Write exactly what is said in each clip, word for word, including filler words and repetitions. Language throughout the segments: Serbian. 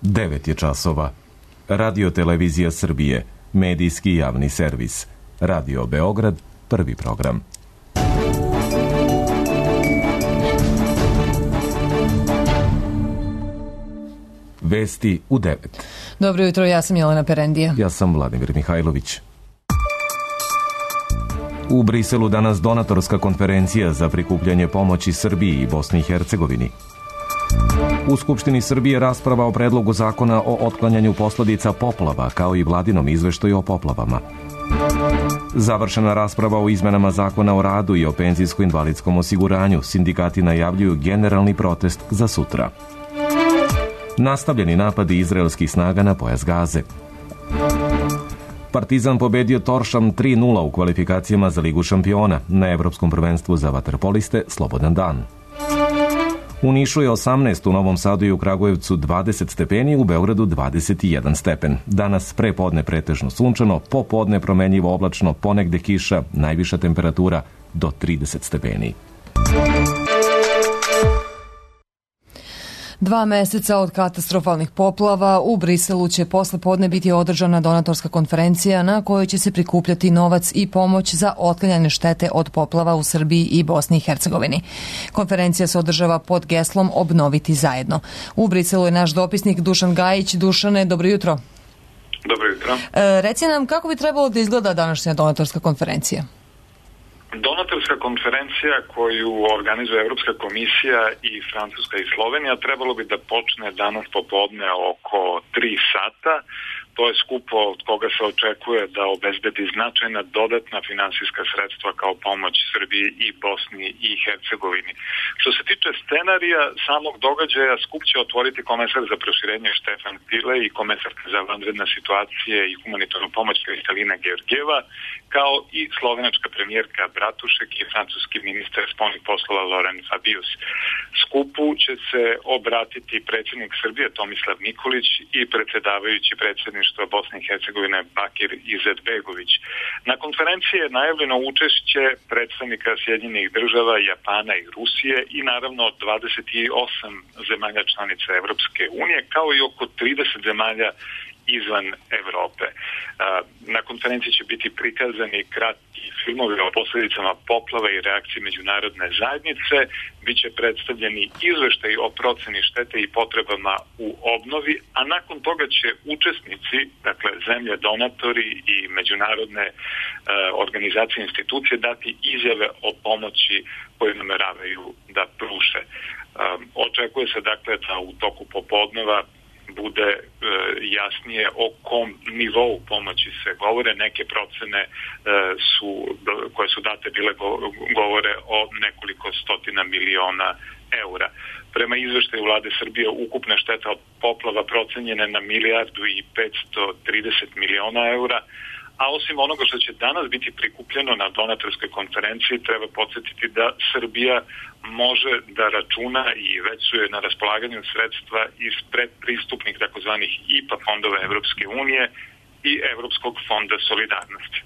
devet je časova. Radio Televizija Srbije, medijski javni servis. Radio Beograd, prvi program. Vesti u devet. Dobro jutro, ja sam Jelena Perendija. Ja sam Vladimir Mihajlović. U Briselu danas donatorska konferencija za prikupljanje pomoći Srbiji i Bosni i Hercegovini. U Skupštini Srbije rasprava o predlogu zakona o otklanjanju posledica poplava, kao i vladinom izveštaju o poplavama. Završena rasprava o izmenama zakona o radu i o penzijsko-invalidskom osiguranju. Sindikati najavljuju generalni protest za sutra. Nastavljeni napadi izraelskih snaga na pojas Gaze. Partizan pobedio Toršam tri nula u kvalifikacijama za Ligu šampiona. Na Evropskom prvenstvu za vaterpoliste slobodan dan. U Nišu je osamnaest, u Novom Sadu i u Kragujevcu dvadeset stepeni, u Beogradu dvadeset jedan stepen. Danas prepodne pretežno sunčano, popodne promenljivo oblačno, ponegde kiša, najviša temperatura do trideset stepeni. Dva meseca od katastrofalnih poplava u Briselu će posle podne biti održana donatorska konferencija na kojoj će se prikupljati novac i pomoć za otklanjanje štete od poplava u Srbiji i Bosni i Hercegovini. Konferencija se održava pod geslom Obnoviti zajedno. U Briselu je naš dopisnik Dušan Gajić. Dušane, dobro jutro. Dobro jutro. E, reci nam kako bi trebalo da izgleda današnja donatorska konferencija? Donatorska konferencija koju organizuje Evropska komisija i Francuska i Slovenija trebalo bi da počne danas popodne oko tri sata. To je skupo od koga se očekuje da obezbedi značajna dodatna finansijska sredstva kao pomoć Srbiji i Bosni i Hercegovini. Što se tiče scenarija samog događaja, skup će otvoriti komesar za proširenje Štefan File i komesarka za vanredne situacije i humanitarnu pomoć Kristalina Georgijeva, kao i slovenačka premijerka Bratušek i francuski ministar spoljnih poslova Laurent Fabius. Skupu će se obratiti predsjednik Srbije Tomislav Nikolić i predsjedavajući predsjedništva Bosne i Hercegovine Bakir Izetbegović. Na konferenciji je najavljeno učešće predstavnika Sjedinjenih država, Japana i Rusije i naravno dvadeset osam zemalja članica Evropske unije, kao i oko trideset zemalja izvan Evrope. Na konferenciji će biti prikazani kratki filmovi o posljedicama poplava i reakciji međunarodne zajednice, biće predstavljeni izveštaj o proceni štete i potrebama u obnovi, a nakon toga će učesnici, dakle zemlje donatori i međunarodne e, organizacije i institucije dati izjave o pomoći koje nameravaju da pruže. E, očekuje se dakle da u toku popodneva bude e, jasnije o kom nivou pomoći se govore. Neke procene e, su, koje su date bile go, govore o nekoliko stotina miliona eura. Prema izveštaju vlade Srbije ukupna šteta od poplava procenjena na milijardu i petsto trideset miliona eura, a osim onoga što će danas biti prikupljeno na donatorskoj konferenciji, treba podsjetiti da Srbija može da računa i već su je na raspolaganju sredstva iz predpristupnih takozvanih I P A fondova Evropske unije i Evropskog fonda solidarnosti.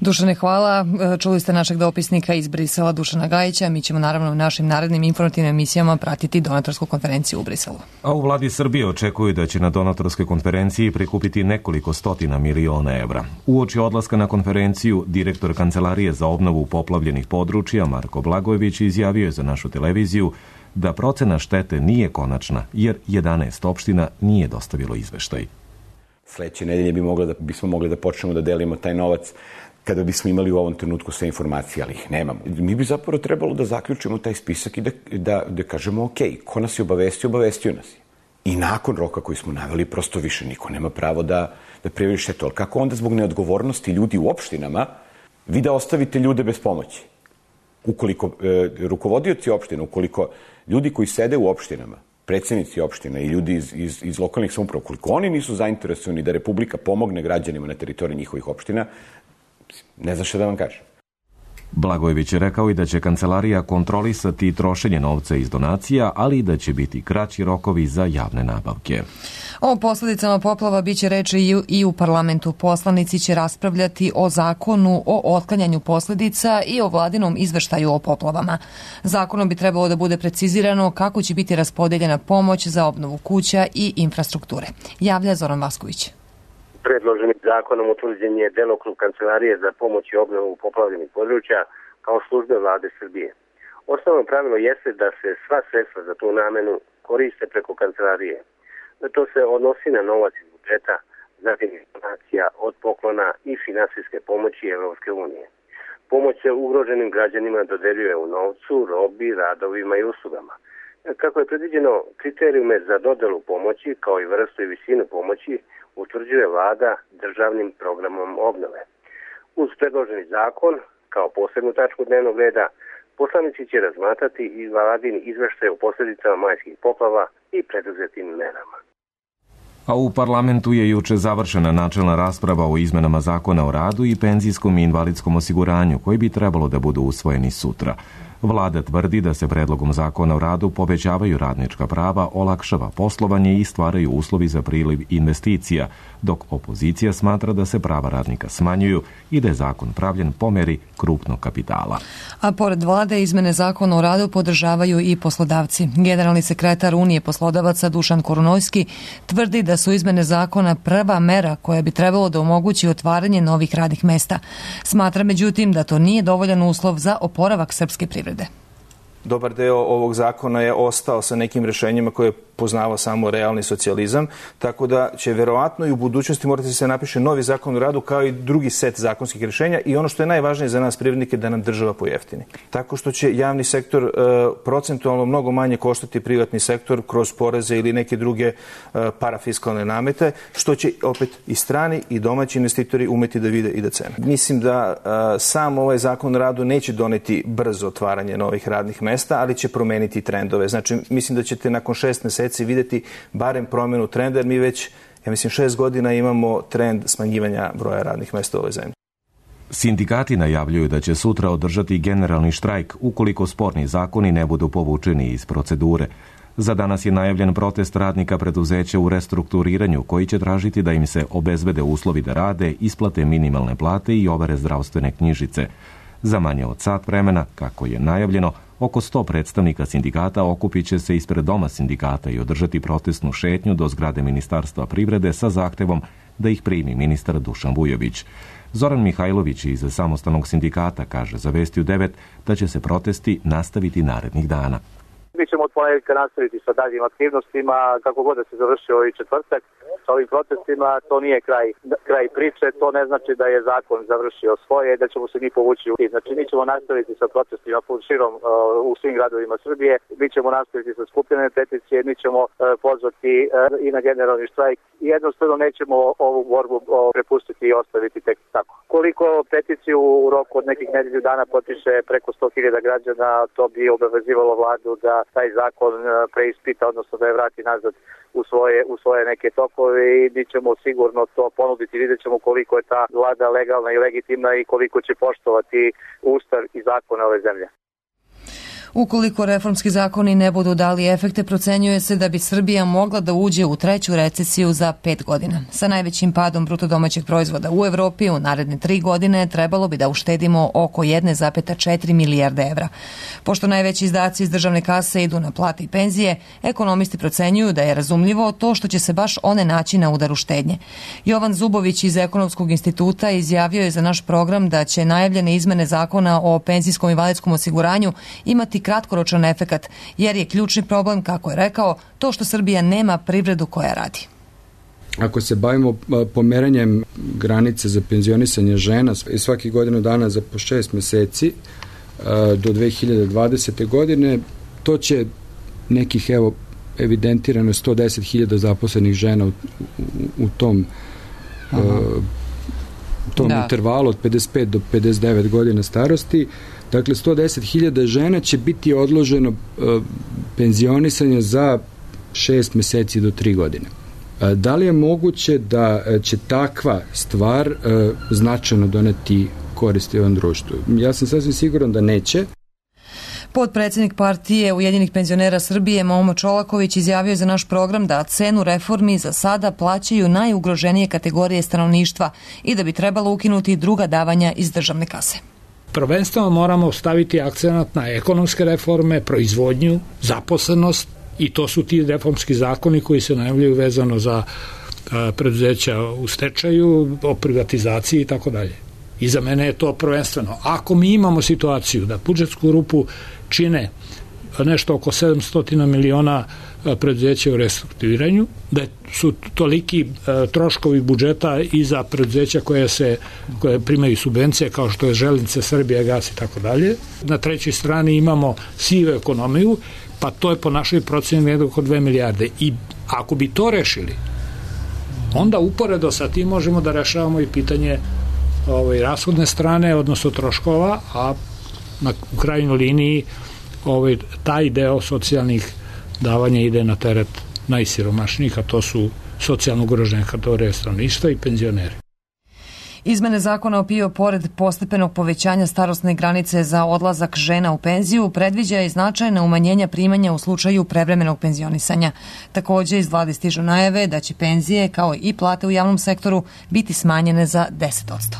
Dušane, hvala. Čuli ste našeg dopisnika iz Brisela, Dušana Gajića. Mi ćemo naravno u našim narednim informativnim emisijama pratiti donatorsku konferenciju u Briselu. A u vladi Srbije očekuju da će na donatorskoj konferenciji prikupiti nekoliko stotina miliona evra. Uoči odlaska na konferenciju, direktor Kancelarije za obnovu poplavljenih područja Marko Blagojević izjavio je za našu televiziju da procena štete nije konačna, jer jedanaest opština nije dostavilo izveštaj. Sledeće nedelje bi mogli da, bismo mogli da počnemo da delimo taj novac kada bismo imali u ovom trenutku sve informacije, ali ih nemamo. Mi bi zapravo trebalo da zaključimo taj spisak i da, da, da kažemo ok, ko nas je obavestio, obavestio nas je. I nakon roka koji smo naveli, prosto više niko nema pravo da, da prijavi štetu. Ali kako onda zbog neodgovornosti ljudi u opštinama vi da ostavite ljude bez pomoći? Ukoliko e, rukovodioci opština, ukoliko ljudi koji sede u opštinama, predsjednici opština i ljudi iz, iz, iz lokalnih samouprava, ukoliko oni nisu zainteresovani da Republika pomogne građanima na teritoriji njihovih opština, ne znam šta da vam kažem. Blagojević je rekao i da će kancelarija kontrolisati trošenje novca iz donacija, ali i da će biti kraći rokovi za javne nabavke. O posledicama poplava biće reči i u parlamentu. Poslanici će raspravljati o zakonu o otklanjanju posledica i o vladinom izveštaju o poplavama. Zakonom bi trebalo da bude precizirano kako će biti raspodeljena pomoć za obnovu kuća i infrastrukture. Javlja Zoran Vasković. Predloženim zakonom utvrđen je delokrug Kancelarije za pomoć i obnovu poplavljenih područja kao službe vlade Srbije. Osnovno pravilo jeste da se sva sredstva za tu namenu koriste preko kancelarije. To se odnosi na novac iz budžeta, zatim donacija od poklona i finansijske pomoći Evropske unije. Pomoć se ugroženim građanima dodeljuje u novcu, robi, radovima i uslugama. Kako je predviđeno, kriterijume za dodelu pomoći, kao i vrstu i visinu pomoći, utvrđuje vlada državnim programom obnove. Uz predloženi zakon, kao posebnu tačku dnevnog reda, poslanici će razmatrati i vladin izveštaj o posljedicama majskih poplava i preduzetim merama. A u parlamentu je juče završena načelna rasprava o izmenama zakona o radu i penzijskom i invalidskom osiguranju, koji bi trebalo da budu usvojeni sutra. Vlada tvrdi da se predlogom zakona o radu povećavaju radnička prava, olakšava poslovanje i stvaraju uslovi za priliv investicija, dok opozicija smatra da se prava radnika smanjuju i da je zakon pravljen po meri krupnog kapitala. A pored vlade, izmene zakona o radu podržavaju i poslodavci. Generalni sekretar Unije poslodavaca Dušan Korunojski tvrdi da su izmene zakona prva mera koja bi trebalo da omogući otvaranje novih radnih mesta. Smatra međutim da to nije dovoljan uslov za oporavak srpske privrede. Dobar deo ovog zakona je ostao sa nekim rešenjima koje je poznavao samo realni socijalizam, tako da će verovatno i u budućnosti morati se napiše novi zakon o radu kao i drugi set zakonskih rešenja i ono što je najvažnije za nas privrednike da nam država pojeftini. Tako što će javni sektor e, procentualno mnogo manje koštati privatni sektor kroz poreze ili neke druge e, parafiskalne namete, što će opet i strani i domaći investitori umeti da vide i da cene. Mislim da e, sam ovaj zakon o radu neće doneti brzo otvaranje novih radnih mesta, ali će promeniti trendove. Znači, mislim da ćete nakon šest meseci videti barem promjenu trenda, jer mi već, ja mislim, šest godina imamo trend smanjivanja broja radnih mesta u ovoj zemlji. Sindikati najavljuju da će sutra održati generalni štrajk ukoliko sporni zakoni ne budu povučeni iz procedure. Za danas je najavljen protest radnika preduzeća u restrukturiranju koji će tražiti da im se obezbede uslovi da rade, isplate minimalne plate i overe zdravstvene knjižice. Za manje od sat vremena, kako je najavljeno, oko sto predstavnika sindikata okupit će se ispred doma sindikata i održati protestnu šetnju do zgrade Ministarstva privrede sa zahtevom da ih primi ministar Dušan Vujović. Zoran Mihajlović iz Samostalnog sindikata kaže za Vesti u devet da će se protesti nastaviti narednih dana. Mi ćemo od ponedjeljka nastaviti sa daljim aktivnostima, kako god da se završi ovaj četvrtak. Sa ovim protestima to nije kraj, kraj priče, to ne znači da je zakon završio svoje, da ćemo se mi povući. Znači, mi ćemo nastaviti sa protestima širom uh, u svim gradovima Srbije, mi ćemo nastaviti sa skupljene peticije, mi ćemo uh, pozvati uh, i na generalni štrajk i jednostavno nećemo ovu borbu uh, prepustiti i ostaviti tek tako. Koliko peticiju u roku od nekih nedelju dana potpiše preko sto hiljada građana, to bi obavezivalo vladu da taj zakon uh, preispita, odnosno da je vrati nazad u svoje, u svoje neke tokove i mi ćemo sigurno to ponuditi. Vidjet ćemo koliko je ta vlada legalna i legitimna i koliko će poštovati ustav i zakone ove zemlje. Ukoliko reformski zakoni ne budu dali efekte, procenjuje se da bi Srbija mogla da uđe u treću recesiju za pet godina. Sa najvećim padom bruto domaćeg proizvoda u Evropi u naredne tri godine trebalo bi da uštedimo oko jedna zarez četiri milijarde evra. Pošto najveći izdaci iz državne kase idu na plate i penzije, ekonomisti procenjuju da je razumljivo to što će se baš one naći na udaru štednje. Jovan Zubović iz Ekonomskog instituta izjavio je za naš program da će najavljene izmene zakona o penzijskom i invalidskom osiguranju imati kratkoročan efekat, jer je ključni problem, kako je rekao, to što Srbija nema privredu koja radi. Ako se bavimo pomeranjem granice za penzionisanje žena svaki godinu dana za po šest meseci do dve hiljade dvadesete. godine, to će nekih, evo, evidentirano sto deset hiljada zaposlenih žena u, u, u tom uh, tom da. intervalu od pedeset pet do pedeset devet godina starosti. Dakle, sto deset hiljada žena će biti odloženo uh, penzionisanje za šest meseci do tri godine. Uh, da li je moguće da uh, će takva stvar uh, značajno doneti koristi ovom društvu. Ja sam sasvim siguran da neće. Potpredsednik partije Ujedinjenih penzionera Srbije Momo Čolaković izjavio je za naš program da cenu reformi za sada plaćaju najugroženije kategorije stanovništva i da bi trebalo ukinuti druga davanja iz državne kase. Prvenstveno moramo staviti akcenat na ekonomske reforme, proizvodnju, zaposlenost i to su ti reformski zakoni koji se najavljaju vezano za preduzeća u stečaju, o privatizaciji i tako dalje. I za mene je to prvenstveno. Ako mi imamo situaciju da budžetsku rupu čine nešto oko sedamsto miliona preduzeća u restrukturiranju, da su toliki troškovi budžeta i za preduzeća koje se koje primaju subvencije kao što je Železnice, Srbija, gas i tako dalje. Na trećoj strani imamo sivu ekonomiju, pa to je po našoj proceni jedno oko dve milijarde. I ako bi to rešili, onda uporedo sa tim možemo da rešavamo i pitanje ovaj, rashodne strane, odnosno troškova, a na krajnjoj liniji ovaj, taj deo socijalnih davanja ide na teret najsiromašnijih, a to su socijalno ugrožene kategorije stanovništva i penzioneri. Izmene zakona o P I O pored postepenog povećanja starosne granice za odlazak žena u penziju predviđa i značajna umanjenja primanja u slučaju prevremenog penzionisanja. Takođe iz vlade stižu najave da će penzije kao i plate u javnom sektoru biti smanjene za deset posto.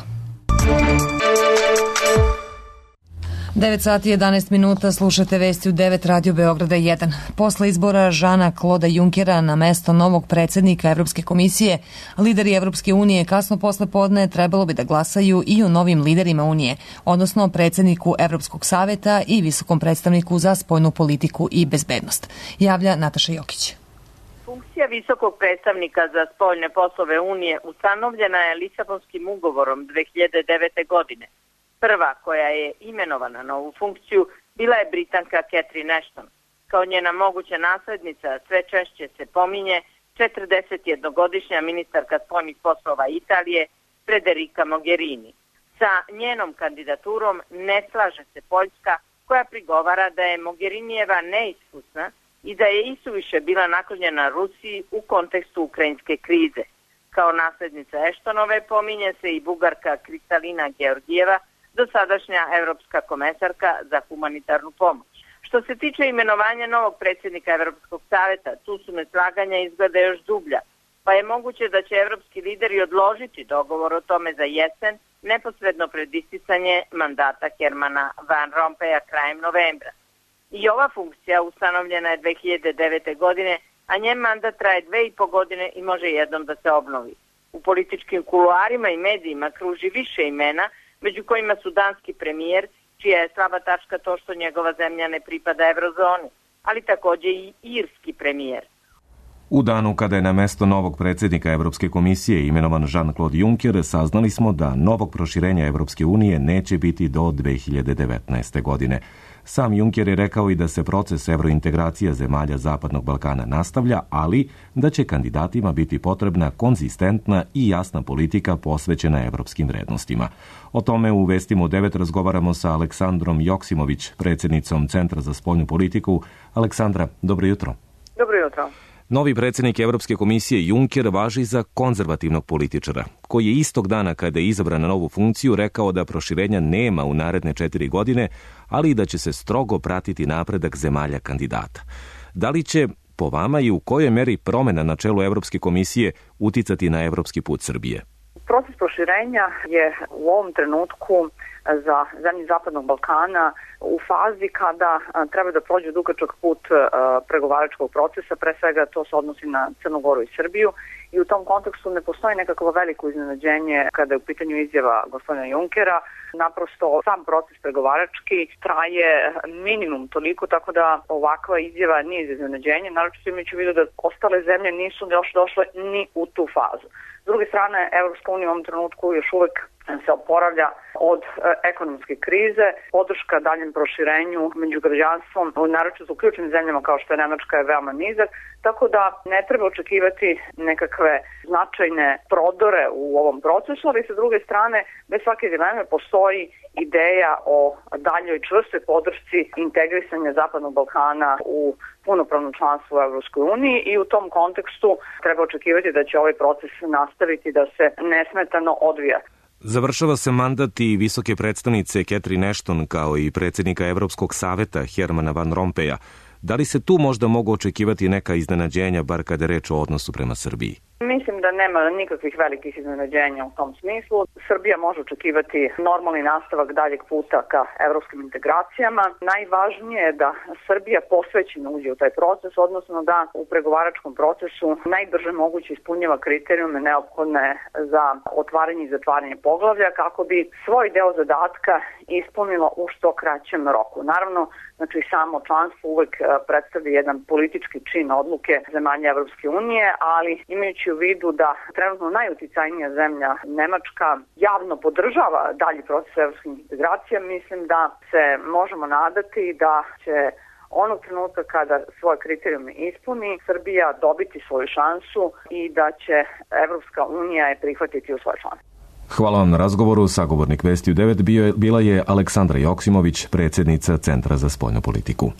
devet sati i jedanaest minuta, slušate vesti u devet Radio Beograda jedan. Posle izbora Žana Kloda Junkera na mesto novog predsednika Evropske komisije, lideri Evropske unije kasno posle podne trebalo bi da glasaju i o novim liderima Unije, odnosno predsedniku Evropskog saveta i visokom predstavniku za spoljnu politiku i bezbednost. Javlja Nataša Jokić. Funkcija visokog predstavnika za spoljne poslove Unije ustanovljena je Lisabonskim ugovorom dve hiljade devete. godine. Prva koja je imenovana na ovu funkciju bila je Britanka Catherine Ashton. Kao njena moguća naslednica sve češće se pominje četrdesetjednogodišnja ministarka spoljnih poslova Italije Federica Mogherini. Sa njenom kandidaturom ne slaže se Poljska, koja prigovara da je Mogherinijeva neiskusna i da je isuviše bila naklonjena Rusiji u kontekstu ukrajinske krize. Kao naslednica Ashtonove pominje se i Bugarka Kristalina Georgijeva, dosadašnja evropska komesarka za humanitarnu pomoć. Što se tiče imenovanja novog predsjednika Evropskog saveta, tu su neslaganja izgleda još dublja, pa je moguće da će evropski lideri odložiti dogovor o tome za jesen, neposredno pred isticanje mandata Hermana Van Rompuya krajem novembra. I ova funkcija ustanovljena je dve hiljade devete. godine, a njen mandat traje dve i po godine i može jednom da se obnovi. U političkim kuluarima i medijima kruži više imena, među kojima su danski premijer, čija je slaba tačka to što njegova zemlja ne pripada eurozoni, ali takođe i irski premijer. U danu kada je na mesto novog predsjednika Evropske komisije imenovan Jean-Claude Juncker, saznali smo da novog proširenja Evropske unije neće biti do dve hiljade devetnaeste. godine. Sam Juncker je rekao i da se proces evrointegracija zemalja Zapadnog Balkana nastavlja, ali da će kandidatima biti potrebna konzistentna i jasna politika posvećena evropskim vrednostima. O tome u Vestima u devet razgovaramo sa Aleksandrom Joksimović, predsjednicom Centra za spoljnu politiku. Aleksandra, dobro jutro. Dobro jutro. Novi predsjednik Evropske komisije Juncker važi za konzervativnog političara, koji je istog dana kada je izabran na novu funkciju rekao da proširenja nema u naredne četiri godine, ali i da će se strogo pratiti napredak zemalja kandidata. Da li će, po vama i u kojoj meri promjena na čelu Evropske komisije uticati na evropski put Srbije? Proces proširenja je u ovom trenutku za zemlje Zapadnog Balkana u fazi kada treba da prođu dugačak put pregovaračkog procesa, pre svega to se odnosi na Crnu Goru i Srbiju i u tom kontekstu ne postoji nekakvo veliko iznenađenje kada je u pitanju izjava gospodina Junkera. Naprosto sam proces pregovarački traje minimum toliko, tako da ovakva izjava nije iznenađenje, naročito imajući u vidu da ostale zemlje nisu još došle ni u tu fazu. S druge strane, Evropska unija u ovom trenutku još uvek se oporavlja od e, ekonomske krize, podrška daljem proširenju među građanstvom, naročito u ključnim zemljama kao što je Nemačka, je veoma nizak, tako da ne treba očekivati nekakve značajne prodore u ovom procesu, ali sa druge strane, bez svake dileme postoji ideja o daljoj čvrstoj podršci integrisanja Zapadnog Balkana u punopravno članstvo u Evropskoj uniji i u tom kontekstu treba očekivati da će ovaj proces nastaviti da se nesmetano odvija. Završava se mandat i visoke predstavnice Catherine Ashton kao i predsjednika Evropskog saveta Hermana Van Rompeja. Da li se tu možda mogu očekivati neka iznenađenja, bar kada je reč o odnosu prema Srbiji? Mislim da nema nikakvih velikih iznenađenja u tom smislu. Srbija može očekivati normalni nastavak daljeg puta ka evropskim integracijama. Najvažnije je da Srbija posvećeno uđe u taj proces, odnosno da u pregovaračkom procesu najbrže moguće ispunjava kriterijume neophodne za otvaranje i zatvaranje poglavlja kako bi svoj deo zadatka ispunilo u što kraćem roku. Naravno, znači samo članstvo uvek predstavlja jedan politički čin odluke zemalja Evropske unije, ali imajući u vidu da trenutno najuticajnija zemlja Nemačka javno podržava dalji proces evropskih integracija, mislim da se možemo nadati da će onog trenutka kada svoje kriterijume ispuni, Srbija dobiti svoju šansu i da će Evropska unija je prihvatiti u svoje članstvo. Hvala vam na razgovoru. Sagovornik Vesti u devet bio je, bila je Aleksandra Joksimović, predsjednica Centra za spoljnu politiku.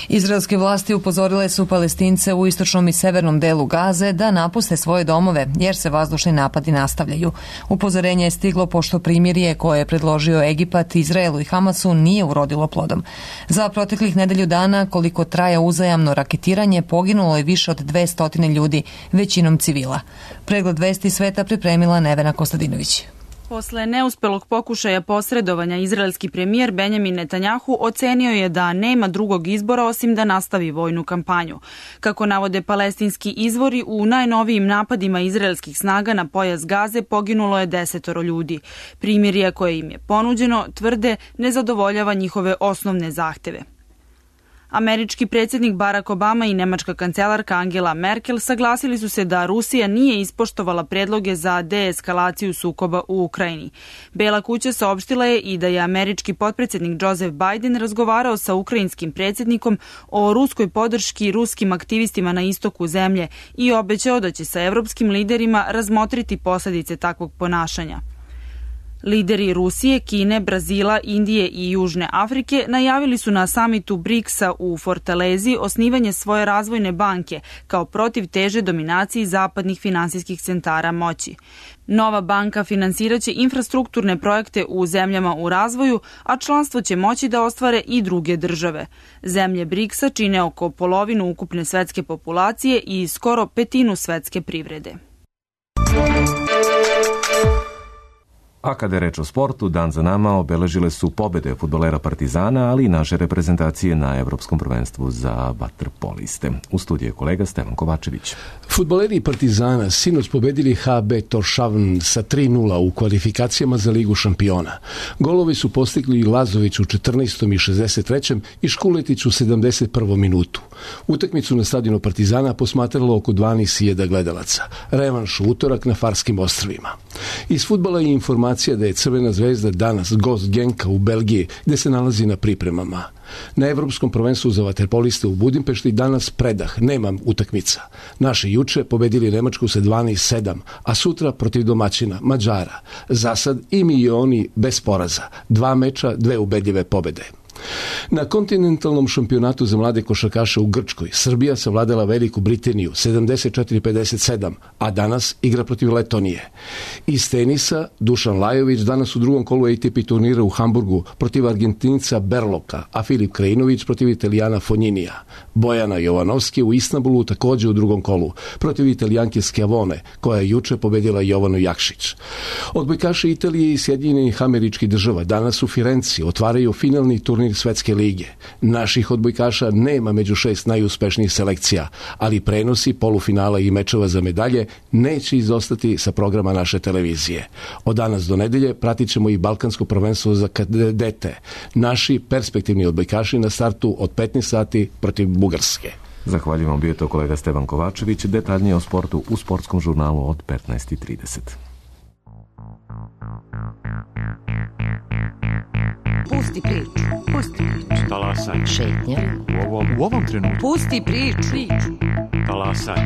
Izraelske vlasti upozorile su Palestince u istočnom i severnom delu Gaze da napuste svoje domove, jer se vazdušni napadi nastavljaju. Upozorenje je stiglo pošto primirje koje je predložio Egipat, Izraelu i Hamasu nije urodilo plodom. Za proteklih nedelju dana, koliko traja uzajamno raketiranje, poginulo je više od dvesta ljudi, većinom civila. Pregled Vesti sveta pripremila Nevena Kostadinović. Posle neuspelog pokušaja posredovanja, izraelski premijer Benjamin Netanjahu ocenio je da nema drugog izbora osim da nastavi vojnu kampanju. Kako navode palestinski izvori, u najnovijim napadima izraelskih snaga na pojas Gaze poginulo je desetoro ljudi. Primirje koje im je ponuđeno, tvrde, ne zadovoljava njihove osnovne zahteve. Američki predsjednik Barack Obama i nemačka kancelarka Angela Merkel saglasili su se da Rusija nije ispoštovala predloge za deeskalaciju sukoba u Ukrajini. Bela kuća saopštila je i da je američki potpredsjednik Joseph Biden razgovarao sa ukrajinskim predsjednikom o ruskoj podrški ruskim aktivistima na istoku zemlje i obećao da će sa evropskim liderima razmotriti posljedice takvog ponašanja. Lideri Rusije, Kine, Brazila, Indije i Južne Afrike najavili su na samitu briksa u Fortalezi osnivanje svoje razvojne banke kao protiv teže dominaciji zapadnih finansijskih centara moći. Nova banka finansiraće infrastrukturne projekte u zemljama u razvoju, a članstvo će moći da ostvare i druge države. Zemlje briksa čine oko polovinu ukupne svetske populacije i skoro petinu svetske privrede. A kada je reč o sportu, dan za nama obeležile su pobede fudbalera Partizana, ali i naše reprezentacije na Evropskom prvenstvu za vaterpoliste. U studiju je kolega Stevan Kovačević. Fudbaleri Partizana sinoć pobedili H B Torshavn sa tri nula u kvalifikacijama za Ligu šampiona. Golovi su postigli Lazović u četrnaestom i šezdeset trećem i Škuletić u sedamdeset prvom minutu. Utakmicu na stadionu Partizana posmatralo oko dvanaest hiljada gledalaca. Revanš u utorak na Farskim ostrvima. Iz fudbala je informacija da je Crvena zvezda danas gost Genka u Belgiji, gde se nalazi na pripremama. Na Evropskom prvenstvu za vaterpoliste u Budimpešti danas predah, nema utakmica. Naši juče pobedili Nemačku sa dvanaest sedam, a sutra protiv domaćina Mađara. Zasad i mi i oni bez poraza. Dva meča, dve ubedljive pobede. Na kontinentalnom šampionatu za mlade košarkaše u Grčkoj Srbija savladala Veliku Britaniju sedamdeset četiri pedeset sedam, a danas igra protiv Letonije. Iz tenisa Dušan Lajović danas u drugom kolu A T P turnira u Hamburgu protiv Argentinca Berloka, a Filip Krajinović protiv Italijana Fognинija. Bojana Jovanovski u Istanbulu također u drugom kolu protiv Italijanke Schiavone, koja je juče pobedila Jovanu Jakšić. Odbojkaši Italije i Sjedinjenih Američkih Država danas u Firenci otvaraju finalni turnir Svetske lige. Naših odbojkaša nema među šest najuspešnijih selekcija, ali prenosi polufinala i mečeva za medalje neće izostati sa programa naše televizije. Od danas do nedelje pratit ćemo i Balkansko prvenstvo za kadete. Naši perspektivni odbojkaši na startu od petnaest sati protiv Bugarske. Zahvaljujem vam, bio je to kolega Stevan Kovačević. Detaljnije o sportu u sportskom žurnalu od petnaest i trideset. Pusti priču, pusti priču. Talasaj. Šetnja. U ovom, u ovom trenutku. Pusti priču. Talasaj.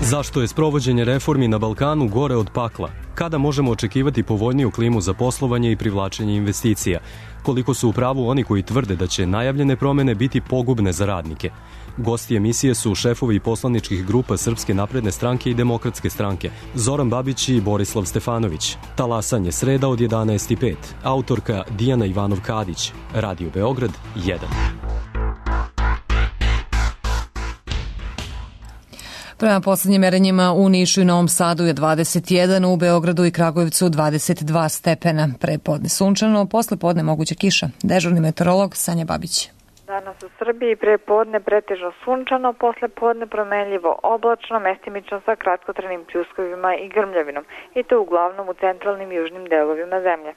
Zašto je sprovođenje reformi na Balkanu gore od pakla? Kada možemo očekivati povoljniju klimu za poslovanje i privlačenje investicija? Koliko su u pravu oni koji tvrde da će najavljene promene biti pogubne za radnike? Gosti emisije su šefovi poslaničkih grupa Srpske napredne stranke i Demokratske stranke, Zoran Babić i Borislav Stefanović. Talasanje sreda od jedanaest i pet. Autorka Dijana Ivanov-Kadić. Radio Beograd jedan. Prema poslednjim merenjima u Nišu i Novom Sadu je dvadeset jedan, u Beogradu i Kragujevcu dvadeset dva stepena. Pre podne sunčano, posle podne moguća kiša. Dežurni meteorolog Sanja Babić. Danas u Srbiji pre podne pretežno sunčano, posle podne promenljivo oblačno, mestimično sa kratkotrajnim pljuskovima i grmljavinom, i to uglavnom u centralnim i južnim delovima zemlje.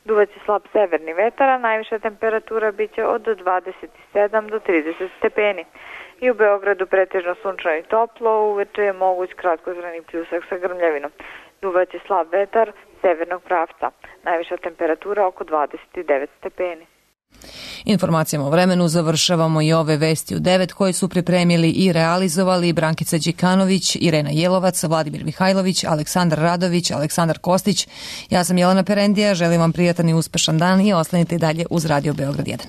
Duvaće slab severni vetar, a najviša temperatura biće od dvadeset sedam do trideset stepeni. I u Beogradu pretežno sunčano i toplo, uveče je moguć kratkotrajni pljusak sa grmljavinom. Duvaće slab vetar severnog pravca. Najviša temperatura oko dvadeset devet stepeni. Informacijama o vremenu završavamo i ove vesti u devet koje su pripremili i realizovali Brankica Đikanović, Irena Jelovac, Vladimir Mihajlović, Aleksandar Radović, Aleksandar Kostić. Ja sam Jelena Perendija, želim vam prijatan i uspešan dan i ostanite dalje uz Radio Beograd jedan.